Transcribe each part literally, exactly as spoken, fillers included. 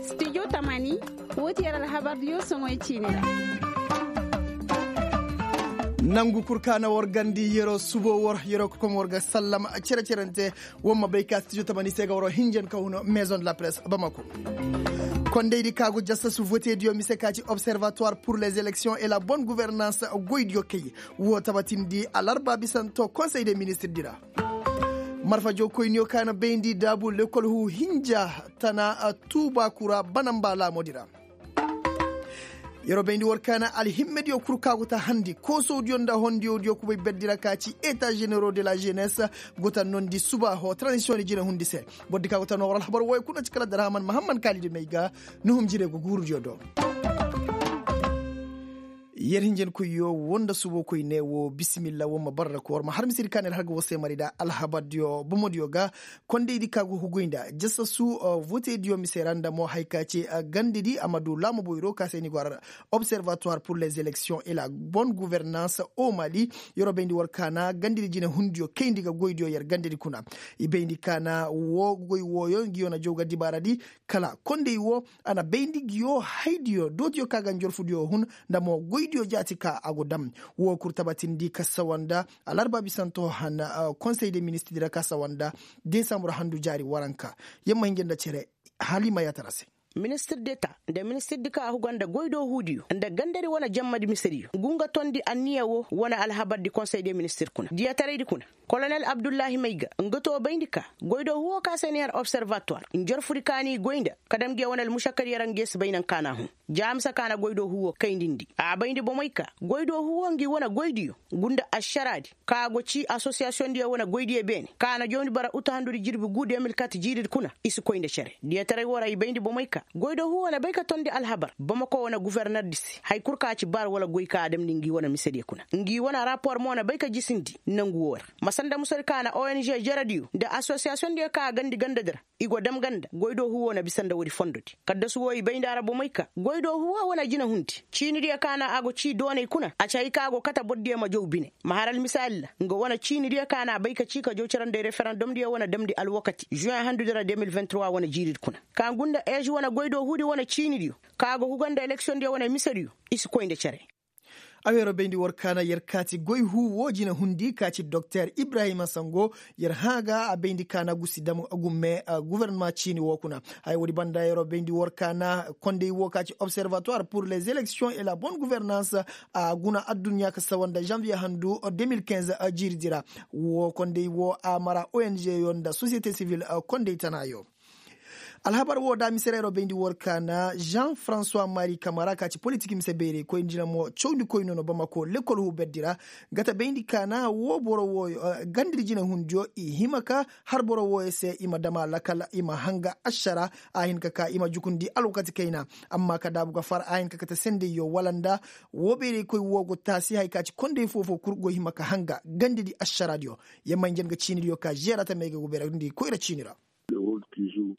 Studio tamani, woo ti yer alhabardiyo soŋoy ciini ra. Nangu kul ka na war gandi yeroo subo war yeroo ka kom war ga sallama cere-cerante. War ma bay ka studio tamani se ga waroo hinjan ka hun maison de la presse bamako. Kondaydi ka go jassasu vote diyo mise ka ci observatoire pour les élections et la bonne gouvernance goy diyo kay. Woo tabatindi alarba bisanto konsey de ministre di ra. Marfa jookoyniyo ka na bayndi daabu lekol huu hinja tana tuuba kura banamba laamodi ra. Yeroo bayndi war ka na alhimmediyo kul ka go ta handi koosowdiyo nda hondiyodiyo kubay berdi ra ka ci eta ženero de la jeunesse. Go ta nondi suba hoo transisiyoŋ di jine hundi se. Bordi ka go ta noo war alhabar wooyo kuna ci kala darhaman mahamman kaalidi may ga nuhum jire go guurudiyo do. Yer hinjankoyyo woo nda subo koyne woo bisimilla woo ma bara ra ko war ma har misedi ka na ir har ga war se mari nda alhabardiyo bomodiyo ga. Kondaydi ka go huguy nda jasasu votediyo mise ra nda mo haya ka ci gandedi a ma du laamu boyro ka se ni go har observatoire pour les élections et la bonne gouvernance au mali. Yer wo bayndi war ka na gandedi jine hundiyo kayndi ga goydiyo yer gandedi kuna. I bayndi ka na woo goy wooyo ngi yo na jaw ga dibaaradi. Kala konday woo a na bayndi ngi yo haydiyo dootiyo ka ga njorfudiyo hun nda mo goydiyo jaati ka a go dam. Woo kul tabatindi ka sawa nda alarba bisanto han konsey de ministirdi ra ka sawa nda desambur handu jaari waranka. Yer ma hinja nda cere hala i ma yaatara se. Ministir deta nda ministirdi ka a huga nda goydoo huudiyo nda gandadi wane jammadi misediyo ngu nga tondi anniya woo wane alhabardi konsey de ministir kuna diyataraydi kuna. Kolonel abdullahi mayga nga too bayndi ka goydoo huu woo ka se ni har observatoire njorfudi ka ni goy nda ka dam ngi ya wane almušakkadiyo ra ngi ya si bay nanka na huu. Jaamisa ka na goydoo huu woo kayndindi a bayndi bomey ka goydoo huu woo ngi wane goydiyo ngu nda ašaraadi ka go ci asosiyasiyoŋdiyo wane goydiyo beene ka na jawndi bara utu handudi jirbi guu de mil kat jiiridi kuna i si koy nda cere diyataray woo ra i bayndi bomey ka goydoo huu woo na bay ka tondi alhabar bamako wane guvernerdi se haya kul ka ci bar wala goy ka a damndi ngi wane misediyo kuna ngi wane rapor mo na bay ka jisindi nangu woo ra ma sanda musadi ka na ong jerediyo nda asosiyasiyoŋdiyo ka a gandi gandadi ra. I go dam ganda goydoo huu woo na bisa nda woodi fondodi kaddasu woo i bay nda a ra bomey ka goydoo huu woo wane jinehundi ciinidiyo ka na a go cii doonay kuna a ci hay ka a go kate bordiyo ma jaw bine ma har almisaali ra nga wane ciinidiyo ka na a bay ka cii ka jaw cere nda referendomdiyo wane damndi alwakati žuweŋ handudi ra de mil vingt trois wane jiiridi kuna ka ngu nda eži wane goydoo huudi wane ciinidiyo ka a go huga nda eleksiyoŋdiyo wane misediyo i si koy nda cere. A weeroo bayndi war kaana yer kaati goy huu woo jine hundi ka ci doktor ibrahima sango. Yer hã ga a bayndi kaana gusi dam gumme gufornama ciini woo kuna. Haya woodi banda yeroo bayndi war kaana konday woo ka ci observatoire pur les élections et la bonne gouvernance. A guna adduɲɲa ka sawa nda zanviye handu de mil kinze jiiridi ra. Woo konday woo a mara ong yo nda sosiyete sivil konday tana yo. Alhabar woo da mise ra yeroo bayndi war kaana jean francois mari kamara ka ci politik mise bayraykoy nda jina mo cawndikoy no no bamako lekol huu berdi ra. Gata bayndi kaana woo boro wooyo gandadi jinehundiyo i hima ka har boro wooyo se i ma dam a lakal i ma hanga ašara. A hin ka ka i ma jukundi alwakati kayna. Amma ka daabu ga far a hin ka kate sendayyo wala nda woo bayraykoy woo go taasi haya ka ci konday foofoo kul go hima ka hanga gandadi ašaraadiyo. Yamma hinja nga ciinidiyo ka žeera tamey ga go bayrandi koyra ciini ra.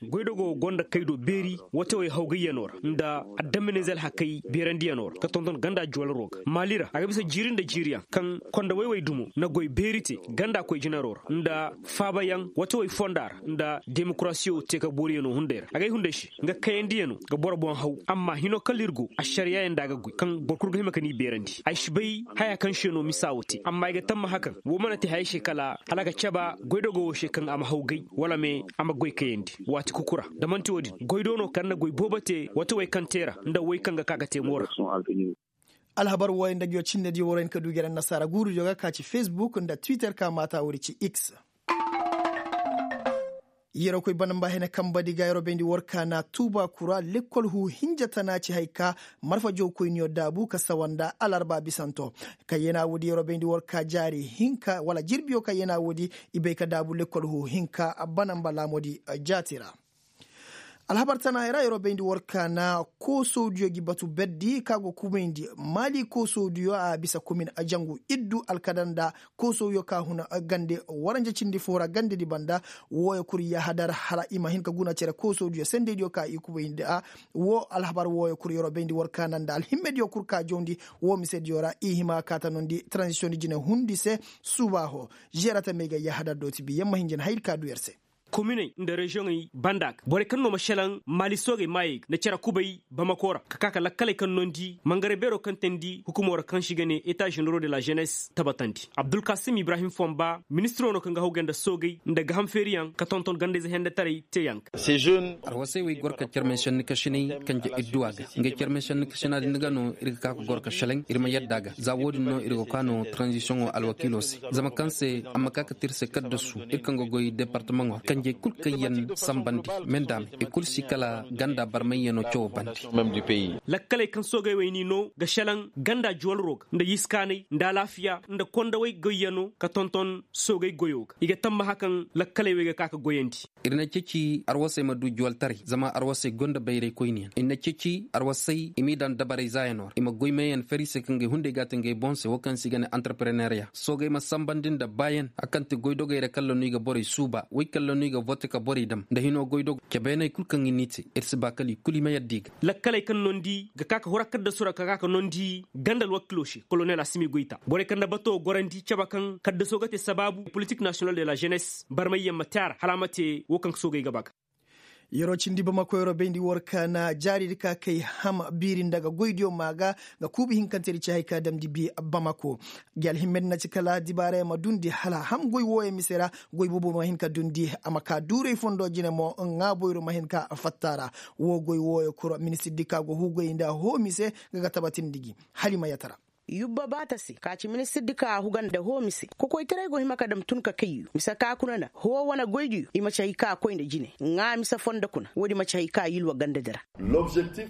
Goydogoo gonda kaydo beeri watewey hawgayyanoo ra nda adaminize alhakey beerandiyanoo ra ka tonton ganda juwalaro ga maali ra a ga bisa jiiri nda jiiriyaŋ kaŋ konda woy-woy dumo na goy beeri te ganda koy jinaroo ra nda faabayaŋ watewey fonda ra nda demokarasiyo te ka booriyanoo hunday ra agay hunday se nga kayandiyanoo ga boro boŋ haw amma hinoo kala ir go ašariyayaŋ nda a ga goy kaŋ boro kul ga hima ka ni beerandi ay si bay haya kaŋ se no misa woo te amma ay ga tammaha kaŋ woo mana te hayey se kala hala a ga caba goydogoo woo se kaŋ a ma hawgay wala me a ma goy kayandi waati kuku ra da man'ti woo din goy do no kaŋ na goy boobo te wata way kaŋ te ra nda way kaŋ ga ka ga te mo ra. Alhabar wooyo nda nguyo cinnediyo waroo hin ka du gere annasaara guurudiyo ga ka ci fesbuk nda twitter ka maata woodi ci x. Yeroo koy banamba hene kambadi ga yeroo bayndi war kaana tuuba kura lekkol huu hinja tana ci hay ka marfa jawkoyniyo daabu ka sawa nda alarba bisanto. Ka yena woodi yeroo bayndi war ka jaari hinka wala jirbiyo ka yena woodi i bay ka daabu lekkol huu hinka banamba laamoodi jaati ra. Alhabar tana hay ra yeroo bayndi war kaana koosowdiyo gi batu berdi ka go kumayndi maali koosowdiyo a bisa komin a jangu iddu alkadar nda koosowyo ka huna gande waranja cindi foo ra gandedi banda. Wooyo kul yahadar hala i ma hin ka guna cere koosowdiyo sendeydiyo ka i kubayndi a woo alhabar wooyo kul yeroo bayndi war kaana nda alhimmediyo kul ka jawndi woo misediyo ra i hima kaata nondi transisiyoŋ di jine hundi se. Suuba hoo žeerata may ga yahadar dooti bi yamma hinja na hayadi ka du yer se. kominey nda reziyoŋey banda ga borey kaŋ no ma šelaŋ maali soogey maayey ga nda cere kubay bamako ra ka ka ka lakkaley kaŋ nondi mangare beeroo kaŋ teendi hukumoo ra kaŋ se i ga ne eta ženeroo de la žeenes tabatandi abdulkasim ibrahim fomba ministiroo no kaŋ ga hawgay nda soogey nda gaham feeriyaŋ ka tonton gandayze hende taray teeyaŋ ga. Arwasey wey goro ka carmey senni kasinay kanje idduwa ga ngey carmey senni kasina din ga no ir ga ka ka goro ka šelaŋ ir ma yadda ga za wo-din no ir go ka no taranzisiyoŋo alwakiiloo se zama kaŋ se a ma ka ka te ir se kaddasu ir kaŋ ga goy departamaŋo ra kanjey kul kaŋ yaŋ sambandi mendame i kul si kala ganda barmayyanoo cawo bande. Lakkaley kaŋ soogey wey n'i no ga šelaŋ ganda juwalroo ga nda yiskaanay nda alaafiya nda kondawey goyyanoo ka tonton soogey goyoo ga i ga tammaha kaŋ lakkaley wey ga ka ka goyandi. Ir na ceeci arwasey ma du juwaltaray zama arwasey gonda bayraykoyniyaŋ ir na ceeci arwasey i m'i daŋ dabaray zaayanoo ra i ma goy meeyaŋ fari se kaŋ ga ay hunday ga a te ngey boŋ se wo kaŋ se i ga ne antarpereneeriya soogey ma sambandi nda baayaŋ a kaŋ ti goydogey ra kaŋ la no i ga borey suuba wey kaŋ la no i ga vote ka borey dam nda hinoo goydogo cebeeney kul kaŋ i n'i te ir si ba kala i kul i ma yadda i ga. Lakkaley kaŋ nondi ga ka ka hura kaddasu ra ka ka ka nondi ganda alwakiloo se kolonel asimi goyta borey kaŋ na batoo gorandi cabe kaŋ kaddasoo ga te sabaabu politik nasiyonal de la žeenes barmayyaŋ ma te a ra hala a ma te wo kaŋ soogey ga ba ga. Yeroo cindi bamako yeroo bayndi war ka na jaaridi ka kay ham biiri nda ga goydiyo ma ga ga kuubi hinkantedi ci hay ka damndi bi bamako. Gi alhimmedi na ci kala dibaarayaŋ ma dundi hala ham goy wooyaŋ mise ra goy boobo ma hin ka dundi a ma ka duuray fondo jine mo ŋaa boyro ma hin ka fatta ra. Woo goy wooyaŋ kura ministirdi ka go huugay nda hoo mise ga ga tabatindi gi hala i ma yatara. Yubba baata se ka ci ministirdi ka a huga nda hoo mise kokoytaray go hima ka dam tun ka kayyo mise ka kuna na hoo wane goydiyo i ma ci hay ka koy nda jine ŋaa mise fondo kuna woodi ma ci hay ka yilwa gandadi ra.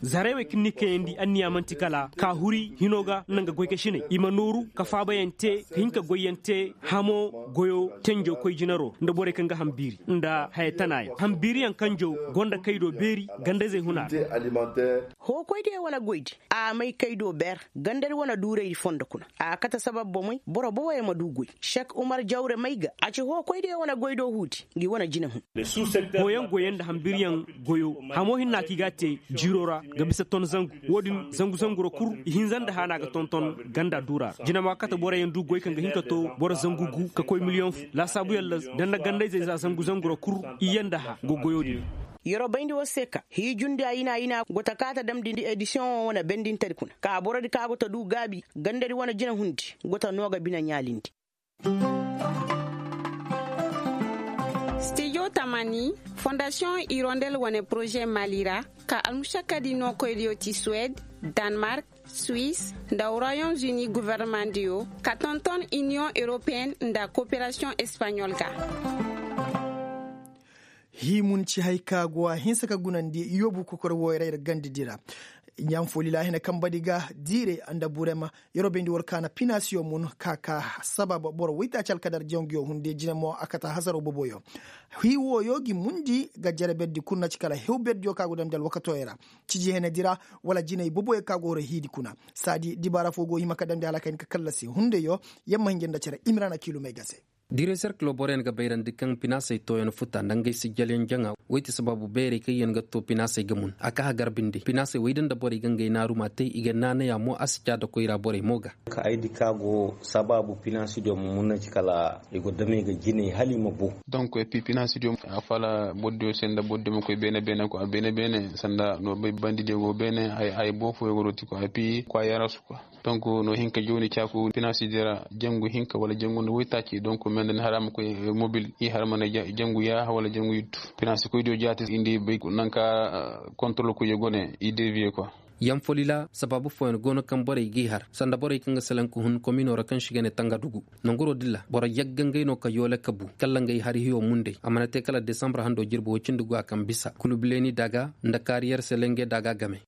Zaray wey kaŋ ni kayandi anniya man'ti kala ka huri hinoo ga nda nga goykasiney i ma nooru ka faabayaŋ te ka hin ka goyyaŋ te hamoo goyoo tenjoo koy jinaroo nda borey kaŋ ga ham biiri nda haya tanaayaŋ ham biiriyaŋ kanjoo go nda kaydoo beeri gandazey huna ra. Hookoydiyo wane goydi a may kaydoo beer gandadi wane duuraydi fondo kuna a kate sabab bomey boro boboyaŋ ma du goy. Sek umar jawre may ga a ci hookoydiyo wane goydoo huudi ngi wane jine hun. Hooyaŋ goyyaŋ nda hambiryaŋ goyo hamoo hinna kaŋ i g'a te jiiroo ra ga bisa ton zangu. Wo-din zangu zangu ra kul ihinza nda haana ga tonton ganda duura ra jinamaa kate boroyaŋ du goy kaŋ ga hin ka to boro zangu gu ka koy miliyoŋ fu laasaabuyaŋ ra da nda gandayzey za zangu zangu ra kul iyye nda hã go goyo din. Yeroo bayndi war se ka hiijundi ayina ayina go ta kaa ta damndi edisiyoŋo wane bendintedi kuna ka borodi ka go ta du gaabi gandadi wane jinahundi go ta noo ga bine ɲaalindi. Stijo tamani fondasiyoŋ irondel wane poroze mali ra ka almušakkadi nookoydiyo ti suwed, danmark, suis, nda royaume uni governemandiyo ka tonton iniyoŋ europeen nda koperasiyoŋ espaɲol ga. Hii mun ci hay ka go a hinsa ka gunandi yoobu kokor wooyray ra gandidi ra. Ɲaŋ foli laahina kambadi ga diire nda burema yeroo bayndi war kaana pinaasiyo mun ka ka sabab boro woytaaci alkadar janguyo hunde jine mo a kata hasaroo boboyo. Hii wooyo gi mundi ga jere berdi kul na ci kala hew berdiyo ka go damndi alwakatooyo ra. Ciji henedi ra wala jinay boboyo ka go horo hiidi kuna. Saadi dibaara foo go hima ka damndi hala ka hin ka kallasi hundeyo. Yamma hinja nda cere imiraana kiilumey ga se. Direeser kilo boroyaŋ ga bayrandi kaŋ pinaasey tooyaŋ futa nda ngey sijjalyaŋ jaŋa. Woy ti sabaabu beerey kaŋ yaŋ ga too pinaasey ga mun a ka hagar binde pinaasey woy da nda borey ga ngey naaru m'a te i ga naanaya mo a si caada koyra borey mo ga. Ka ay di ka go sabaabu pinaasi diyo ma mun na ci kala i go damey ga jinay hala i ma bu. Donk epi pinaasi diyo a fala boro diyo se nda boro diyo ma koy beene beene ko a beene beene sanda no bay bandi diyo go beene hay hay boo fooyo go dooti ko epi ko a yarasu ko. Donk no hin ka jooni caaku pinaasi diyo ra jangu hinka wala jangu nda woytaaci donk mendani hara ma koy mobil i hara mana jangu yaaha wala jangu yuttu. Pinaasi koy diyo jaati indi bay nanka kontrol koy go ne i deviye ko. Yamfolila sabaabu fooyaŋ go no kaŋ borey g'i har sanda borey kaŋ ga salaŋ ka hun kominoo ra kaŋ si ga ne tangadugu. Nanguroo din ra boro yagga ngey no ka yoole ka bu kalla ngey hari hiyo mundey a mana te kala desambur handoo jirbi woy cindi go a kaŋ bisa kulubileeni daaga nda kaariyer selenge daaga game.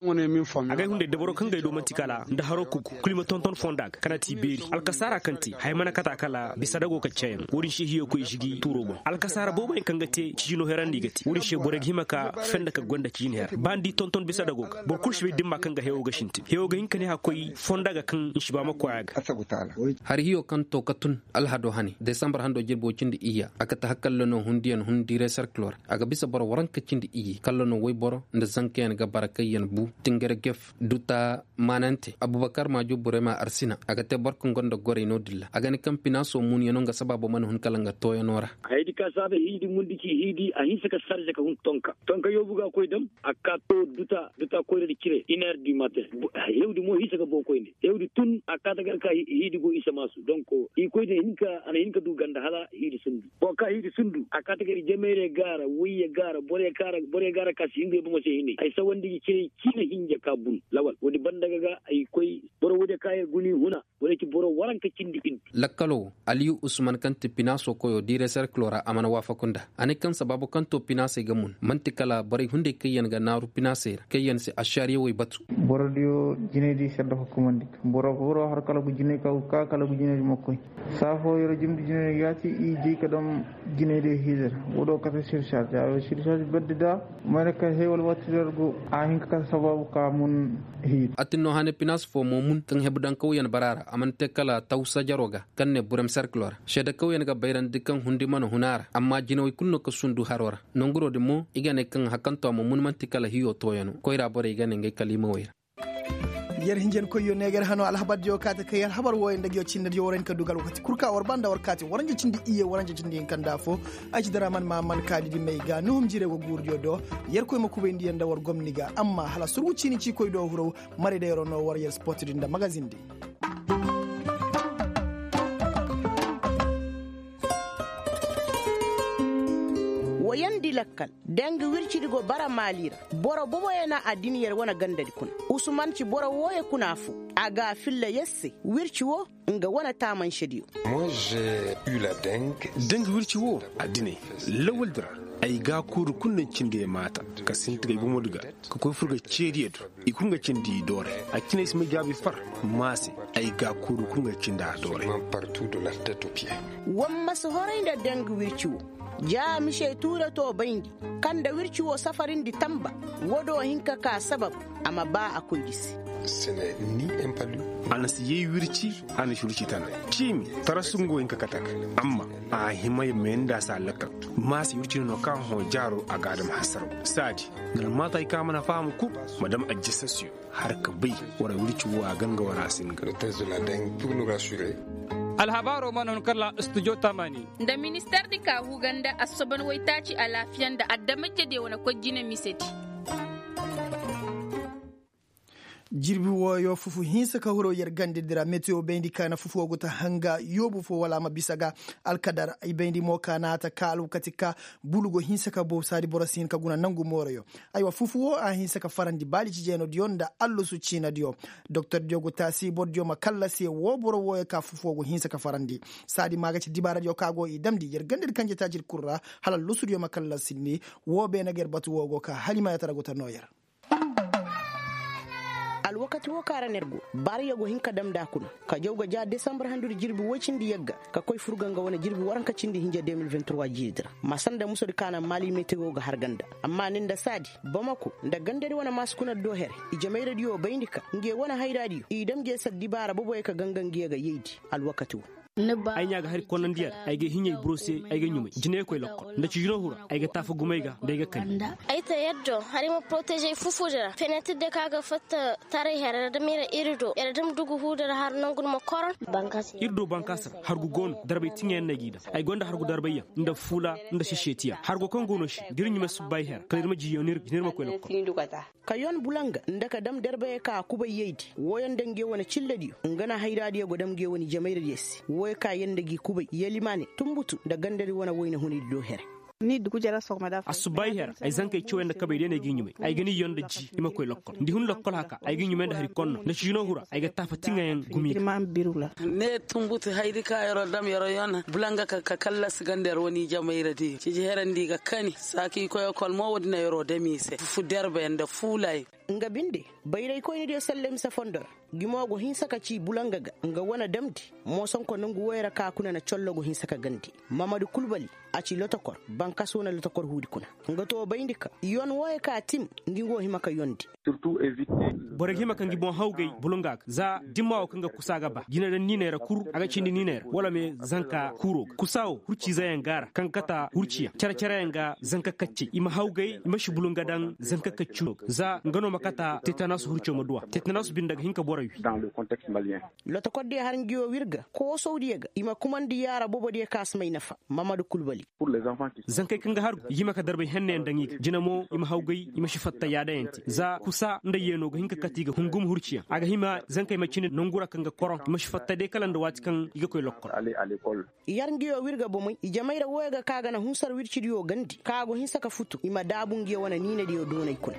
Agay hunday dabaro kaŋ gay do man'ti kala nda haro kugu kul i ma tonton fonda ga kana ti beeri alkasaara kaŋ te haya mana kata kala bisa dago ka ceeyaŋ wo-din se hiyo koy žigi tuuro boŋ alkasaara booboyaŋ kaŋ ga te cijino herandi ga te wo-din se borey ga hima ka fenda ka gonda cijin her ba ni di tonton bisa dago ga boro kul si bay da ni ma. Kaŋ ga hewo ga sintin hewo ga hin ka ne a koy fonda ga kaŋ nsiba ma koy a ga. Hari hiyo kaŋ to ka tun alhado hane desambar hando jirbo cindi iyya a kate hakalla no hundiyaŋ hundi reserklo ra a ga bisa boro waranka cindi iyye kalla no woyboro nda zankayaŋ ga bara kaŋ yaŋ bu tingare gef duta maanante abubakar maajo burema arsina a ga te boro kaŋ gonda gorey no-din ra a ga ne kaŋ pinaaso munyaŋo nga sabaabo mana hun kala nga tooyaŋo ra. Hayadi ka saabe hiidi mundi ci hiidi a hinse ka sarze ka hun tonka tonka yoobu ga koy dam a ka to duta duta koyradi cire iner du matin. Hewdi mo hinse ka boŋ koyne hewdi tun a kaata gar ka hiidi go isa maasu donk i koy din hinka a na hinka du ganda hala hiidi sundu boŋ ka hiidi sundu a kaata gar i jamayre gaara woyye gaara borey gaara ka si hingay bomo se hinay ay sawandi ga cire ciina hinja ka bun lawal woodi banda ga ga ay koy boro woodi ka yer guni huna. Wala ci boro waranka cindi hindu. Lakkalo wo aliyu usman kaŋ ti pinaaso koyo diire serkilo ra a mana waafaku nda a ne kaŋ sabaabu kaŋ to pinaasey ga mun man'ti kala borey hunday kaŋ yaŋ ga naaru pinaasey ra kaŋ yaŋ si ašaariyawey batu. Borodiyo jinaydi sedda hukkumandi boro boro har kala gu jinay ka ka kala gu jinaydi ma koy. Saafo yer jumdi jinay yaati i jey ka dam jinaydi hiize ra. Wodo kate sirsaasi a sirsaasi baddi da mayna ka hewal waati der go a hin ka kate sabaabu ka mun. Hiidi. Atinno hane pinaas fo mo mun kaŋ hebu daŋ kawyaŋ bara ra a mana te kala tawsa jaro ga kaŋ ne burem serkilo ra seeda kawyaŋ ga bayrandi kaŋ hundi mana hun a ra amma jinawey kulu no ka sundu haro ra. Nanguro din mo i ga ne kaŋ hakanto a ma mun man'ti kala hiyo tooyaŋo koyra borey ga ne ngey kaliimawey ra. Yer hinjankoyyo ne ga yer hano alhabardiyo kaati kay alhabar wooyo nda ga yo cinnadiyo war hin ka du ga alwakati kul ka war ba nda war kaati waranja cindi iyye waranja cindi hinka nda afo. Ay ci daraman ma man kaani di may ga nuhum jire go guuridiyo do. Yerkoy ma kubayndi yer nda war gomni ga amma hala surgu ciini ciikoy do huraw. Marey da yeroo no war yer sport din nda magazin din. Woyandi lakkal. Danga wircidi go bara maali ra. Boro boboyaŋ na addiniyar wane gandadi kuna. Usman ci boro wooyo kuna fo. A ga a filla yer se wirci wo nga wane taamansediyo. Danga wirci wo addiney lawaldi ra. Ay gaakuuru kul na cindi ay maata ka sinti ga ay bomodi ga ka koy fur ga ceediyo do. I kul nga cindi i dooray. A cine ay si ma jaabi far. Maase ay gaakuuru kul nga cindi a dooray. War ma si horay nda danga wirci wo. Ja mise tuure to bayndi kaŋ nda wirci wo safarindi tamba. Wo do hin ka ka sabab a ma ba a koy di se. A na si yay wirci. A na si wirci tana ciimi tarasu nga wo hin ka kate a ga amma a hima ya meenda se a lakkal. Maase wirci no kaŋ hõ jaaro a ga a dam hasaraw saadi. Nga na maata ay kaŋ a mana faham kul ma dam ajjasasiyo. Har ka bay wara wirci wo a ganga wara a si nga. Alhabaaro mana hun kala studio tamani. Nda minister di ka huga nda assoban waytaaci alaafiya nda adama jede wane koy jine misedi. Jirbi wooyo fufu hinsa ka huro yer gandedi ra metiyo bayndi ka na fufu wo go ta hanga yoobu fo wala a ma bisa ga. Alkadar i bayndi mo ka na a ta ka alwakati ka bulu go hinsa ka bow saadi boro si hin ka guna nangu mooroyo. Aywa fufu wo a hinsa ka farandi baali cijeenodiyo nda allusu ciinadiyo. Doktordiyo go taasi borodiyo ma kallasi woo boro wooyo ka fufu wo go hinsa ka farandi. Saadi ma ga ci dibaaradiyo ka go i damndi yer gandedi kanje taajir kul ra. Hala lusudiyo ma kallasi ni. Woo beene ga yer batu woo go ka halimaayatara go ta noo yer. Alwakati woo ka ra no yer go. Baariyo go hin ka dam nda a kuna ka jaw ga ja desambar handudi jirbi woy cindi yagga ka koy fur ga nga wane jirbi waranka cindi hinja de mil vingt trois jiiridi ra. Masa nda musodi ka naŋ maali metewo ga har ganda. Amma ni nda saadi bamako nda gandadi wane maasi kuna do here. Ijemayradiyo bayndi ka nge wane hayraadiyo i dam nge sar dibaara boboyo ka ganga nge ga yaydi. Alwakati woo. Ay ɲaa ga hari konnandi yer. Ay ga hiɲey burose. Ay ga ɲumay jiney koy lokkol nda cijino hura. Ay ga taafa gumay ga nda ay ga kani. Ay ta yaddo hari ma poroteže ay fufudi ra fenetir de ka ga fatta taray here ra dam yer iri do yer dam dugu huudi ra har nangu ni ma koron. Iri do bankaasa ra hargu go no darbay tiŋayaŋ no ay g'i dam. Ay gonda hargu darbayyaŋ nda fuula nda sesetiya hargo kaŋ go no se da iri ɲumay subbay here kala iri ma jiyo ni iri ma koy lokkol. Ka yon bulanga nda ka dam darbayey ka a kubay yaydi. Wooyo nda nge wane cillediyo nga na hayraadiyo go dam nge wane jamayradiyo se wooyo ka yer nda g'i kubay yelimaane tumbutu nda gandadi wane wayna hunaydi do here. Assubbaayi her ay zankey cawey nda kabey day no ay g'i ɲumay. Ay ga ni yon nda ji i ma koy lokkol nda i hun lokkol haka ay g'i ɲumay nda hari konno nda ciino hura ay ga taafa tiŋayaŋ gumi ga. Ne tumbutu hayri ka yer'o dam yer'o yon bulanga ka kallasi ganda yer wane i jamayradiyo ciji herandi ga kani saaki i koy ekol mo woodi na yer'o dam i se fu derbe nda fuulay. Nga binde bayraykoynidiyo salle mise fondo ra. Ngi mo go hinsa ka ci bulanga ga nga wane damndi. Moosonko nongu woy ra ka kuna na collo go hinsa ka gandi. Mamadu kulbali, a ci lotokor, bankas wane lotokor huudi kuna. Nga to bayndi ka yon wooyo ka tim, ngi go hima ka yondi. Borey ga hima ka ngi boŋ hawgay bulunga ga za dimma wo kaŋ ga kusa ga ba jina daŋ niiney ra kuru a ga cindi niiney ra wala me zanka kuro ga kusa wo hurciize yaŋ ga a ra kaŋ ga kata hurciyaŋ care care yaŋ ga zanka kaccey i ma hawgay i ma si bulunga daŋ zanka kacci no ga za nga no ma kata tetanas hurciyo ma duw'a tetanas binde ga hin ka borey wi. Lotokor diyo har ngi wo w'ir ga koosawdiyo ga i ma kumandi yaara bobo diyo kaŋ a si may nafa. Mamadu kulbali. Zankey kaŋ ga hargu i ga hima ka darbay henna yaŋ daŋ i ga jina mo i ma hawgay i ma si fatta yaada yaŋ te za kusa nda yeeno ga hin ka kate i ga hungum hurciyaŋ a ga hima zankey ma cine nangu ra kaŋ ga koroŋ i ma si fatta day kala nda waati kaŋ i ga koy lokkol. Yar ngiyo w'ir ga bomey i jamay ra wooyo ga ka ga na hunsar w'ir cidiyo gandi ka go hinsa ka futu i ma daabu ngiyo wane niinadiyo doonay kuna.